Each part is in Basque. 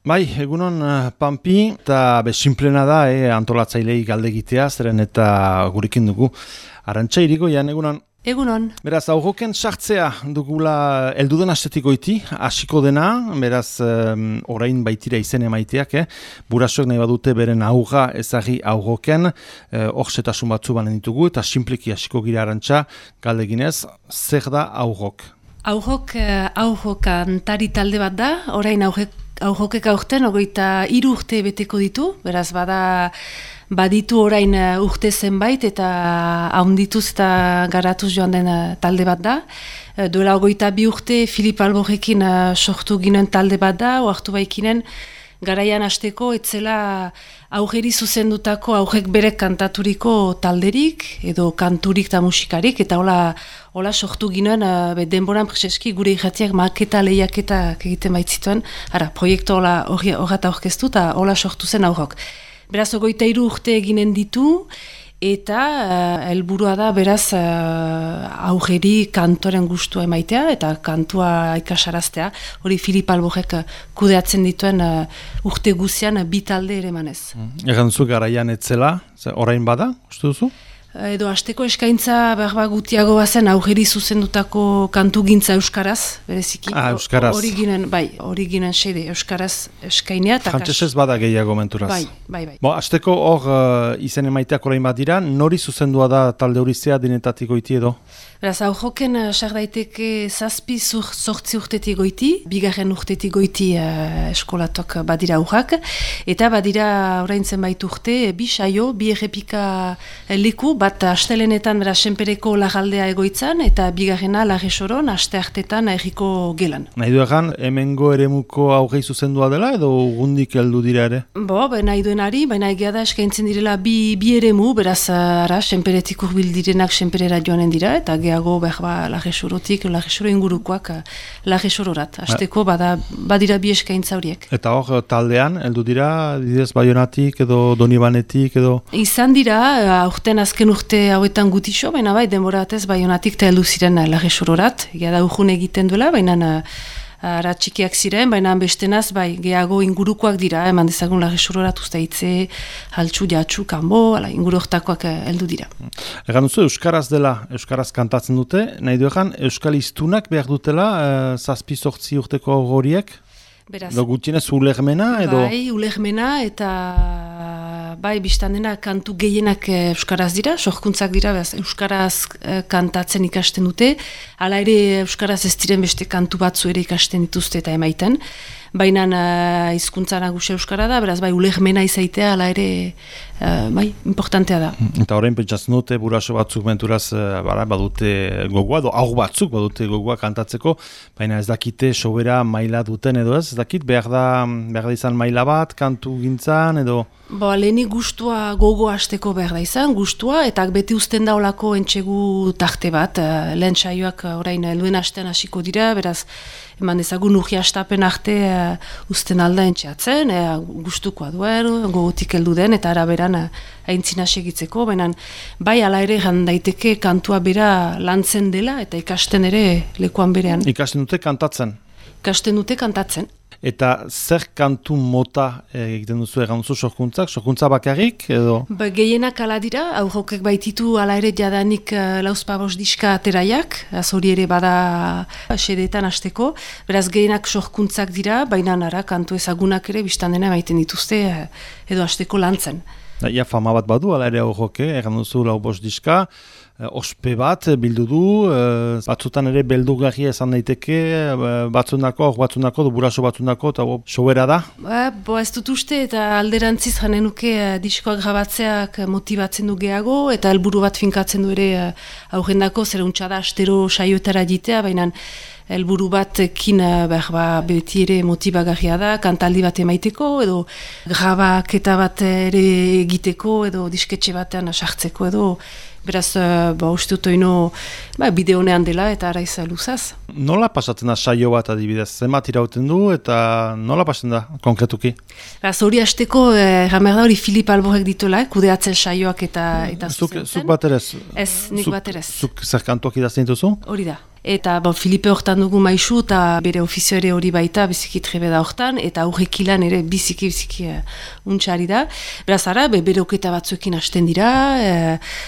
Bai, egunon Pampi, eta simplena da antolatzailei galdegitea, zeren eta gurekin dugu. Arantxa Irigoian, egunon. Egunon. Beraz, aurroken sartzea dugula elduden astetik goiti, hasiko dena, beraz, orain baitira izen emaiteak, burasoek nahi badute beren aurra ezagri aurroken, horzetasun batzu banen ditugu, eta simpleki hasiko gira Arantxa, galdeginez, zer da aurrok? Aurrok antari talde bat da, orain aurrokek aurten 23 urte beteko ditu, beraz baditu orain urte zenbait eta haundituz eta garatuz joan den talde bat da. Duela 22 urte Filip Alborrekin sortu ginen talde bat da, oartu baikinen garaian hasteko etzela aurreri zuzendutako aurrek berek kantaturiko talderik edo kanturik eta musikarik, eta hola sortu ginen denboran preseski gure irratiak maketa lehiaketak egiten baitzituen, proiektu horret aurkeztu eta hola sortu zen aurrok. Beraz 23 urte eginen ditu, eta helburua da beraz aurreri kantoren gustua emaitea eta kantua ikasaraztea. Hori Filip Alborrek kudeatzen dituen urte guzian bi talde ere manez. Egan duzu garaian etzela, orain bada, uste duzu? Edo hasteko eskaintza behar gutiago bazen aurreri zuzendutako kantu gintza euskaraz, bereziki. Euskaraz. Hori ginen xede, euskaraz eskainia. Frantsesez bada gehiago menturaz. Bai. Hasteko hor izen emaiteak orain bat dira, nori zuzendua da talde hori zea dinetatik goiti edo? Beraz, aurroken sar daiteke 7-8 urtetik goiti, 2. urtetik goiti eskolatok badira aurrak, eta badira orain zenbait urte, 2 saio, 2 errepika leku, bat astelenetan beraz senpereko lagaldea egoitzan, eta 2. Larresoron aste hartetan erriko gelan. Nahi du egan, hemengo eremuko aurrei zuzendua dela edo gundik heldu dira ere? Nahi duenari, baina egia da eskaintzen direla bi eremu, beraz senperetik urbil direnak senperera joanen dira, eta geago Larresorotik, Larresoro ingurukoak Larresororat. Azteko badira bi eskaintza horiek. Eta hor taldean, heldu dira, didez Baionatik edo Donibanetik edo? Izan dira, aurten azken urte hauetan gutixo, baina denboratez Baionatik eta heldu ziren Larresororat. Egia da urjun egiten duela, baina txikiak ziren, baina bestenaz geago ingurukoak dira, eman dezagun Larresororat uste hitze, haltsu, jatsu, kanbo, inguru hortakoak heldu dira. Egan duzu, euskaraz dela, euskaraz kantatzen dute, nahi du egan, euskal iztunak behar dutela, 7-8 urteko horiek? Edo gutienez ulermena edo? Ulermena eta biztan dena kantu gehienak euskaraz dira, sorkuntzak dira, euskaraz kantatzen ikasten dute, hala ere euskaraz ez diren beste kantu batzu ere ikasten dituzte eta emaiten, baina hizkuntza nagusia euskara da, beraz ulermena izaitea, hala ere importantea da. Eta horrein pentsatzen dute, buraso batzuk menturaz badute gogoa, edo hau batzuk badute gogoa kantatzeko, baina ez dakite sobera maila duten edo ez dakit, behar da izan maila bat, kantu gintzan edo? Lehenik gustua gogo hasteko behar da izan, gustua, eta beti uzten da olako entxegu tarte bat, lehen saioak orain helduen hastean hasiko dira, beraz, eman dezagun urgi hastapen arte uzten alda entxeatzen, gustukoa duen, gogotik heldu den, eta araberan aintzina segitzeko, baina ala ere daiteke kantua bera lantzen dela, eta ikasten ere lekuan berean. Ikasten dute kantatzen? Ikasten dute kantatzen. Eta zer kantu mota egiten duzu egan duzu sorkuntza bakarrik edo? Gehienak ala dira, aurrokek baititu ala ere jadanik lauzpabos diska ateraiak, hori ere bada sedeetan hasteko, beraz gehienak sorkuntzak dira, baina kantu ezagunak ere biztan dena baiten dituzte edo hasteko lantzen. Ia fama bat badu, ala ere aurroke, egan duzu lauzpabos diska, ospe bat bildu du, batzutan ere beldurgarria esan daiteke, batzundako, buraso batzundako, eta sobera da? Ez dut uste, eta alderantziz janenuke diskoak grabatzeak motibatzen du gehiago, eta helburu bat finkatzen du ere aurrendako, zer untxada astero saioetara jitea, baina helburu batekin beti ere motibagarria da, kantaldi bat emaiteko, edo grabaketa bat ere egiteko, edo disketxe batean sartzeko, edo Beraz, uste dut oino bide honean dela eta araiz luzaz. Nola pasatzen da saio bat adibidez? Zenbat irauten du eta nola pasatzen da konkretuki? Beraz, hori hasteko, ramer da hori Filip Alborrek dituela, kudeatzen saioak eta zuzentzen. Zuk bat ere? Ez, nik bat ere. Zuk zer kantuak idazten dituzu? Hori da. Eta Filipe hortan dugu maisu eta bere ofizio ere hori baita biziki trebe da hortan eta aurrekilan ere biziki untxari da. Beraz ara, bere oketa batzuekin hasten dira,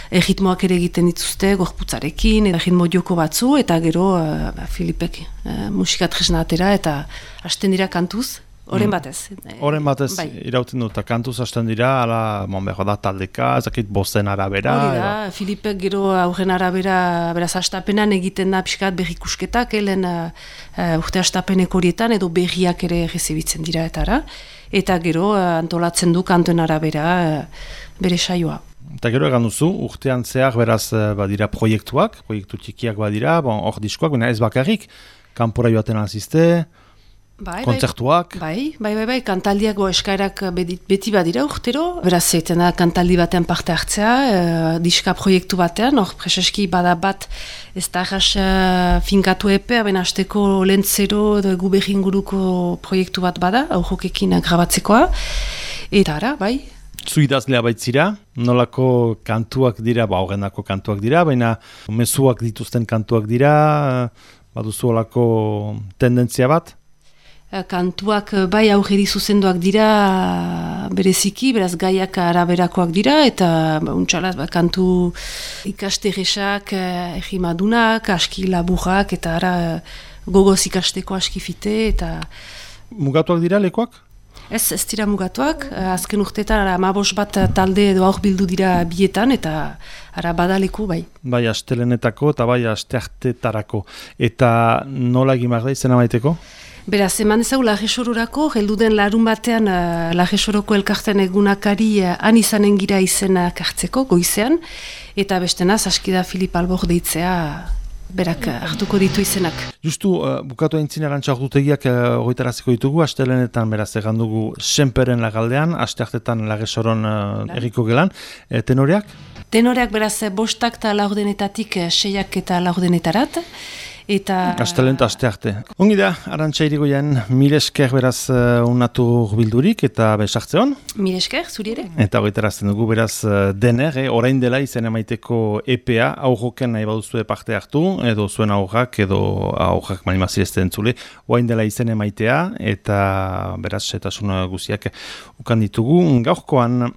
erritmoak ere egiten dituzte gorputzarekin, erritmo joko batzu eta gero Filipek musika tresna atera eta hasten dira kantuz. Horen batez. Horen batez irauten dut, eta kantuz hasten dira, behar da taldeka, ezakit bozen arabera. Hori da, Filipek gero aurren arabera, beraz hastapenan egiten da pixkat berrikusketak, helen urte hastapenek horietan, edo berriak ere rezibitzen dira etara. Eta gero antolatzen du kantuen arabera bere saioa. Eta gero egan duzu, urtean zehar beraz badira proiektu txikiak badira, hor diskoak, baina ez bakarrik, kanpora joaten alzizte, kontzertuak. Bai, kantaldiak eskaerak beti badira urtero. Beraz, zeiten da kantaldi batean parte hartzea, diska proiektu batean, hor preseski bada bat ez da arras finkatu epea, baina hasteko lentzero edo egu behinguruko proiektu bat bada, aurrokekin grabatzekoa. Eta ara, bai. Zu idazlea baitzira, nolako kantuak dira, horrenako kantuak dira, baina mezuak dituzten kantuak dira, baduzu olako tendentzia bat? Kantuak bai aurreri zuzenduak dira bereziki, beraz gaiak araberakoak dira, eta untxalaz kantu ikasteresak, egimadunak, aski laburrak, eta ara gogoz ikasteko aski fite, eta... Mugatuak dira lekuak? Ez dira mugatuak, azken urteetan 15 bat talde edo aur bildu dira bietan, eta ara badaleku bai. Bai, astelenetako eta bai asteartetarako. Eta nola egin behar da izena maiteko? Beraz, eman ezagu Lagesororako, heldu den larun batean Lagesoroko elkarten egunakari han izanen gira izenak hartzeko, goizean, eta bestenaz, askida Filip Albor deitzea berak hartuko ditu izenak. Justu, bukatu aintzin arantxa ordutegiak goitaraziko ditugu, astelenetan beraz egan dugu Senperen lagaldean, asteartetan Lagesoron erriko gelan, tenoreak? Tenoreak beraz, 5 eta laurdenetatik 6 eta laurdenetarat, eta... Astelenta astearte. Ongi da, Arantxa Irigoyen, mil esker beraz unatu bildurik eta besartze hon? Mil esker, zuri ere? Eta horretarazten dugu beraz dener, orain dela izen emaiteko EPA, aurroken nahi baduzue parte hartu, edo zuen aurrak, edo aurrak manimazirezten entzule, orain dela izen emaitea, eta beraz setasun guziak ukan ditugu gaurkoan.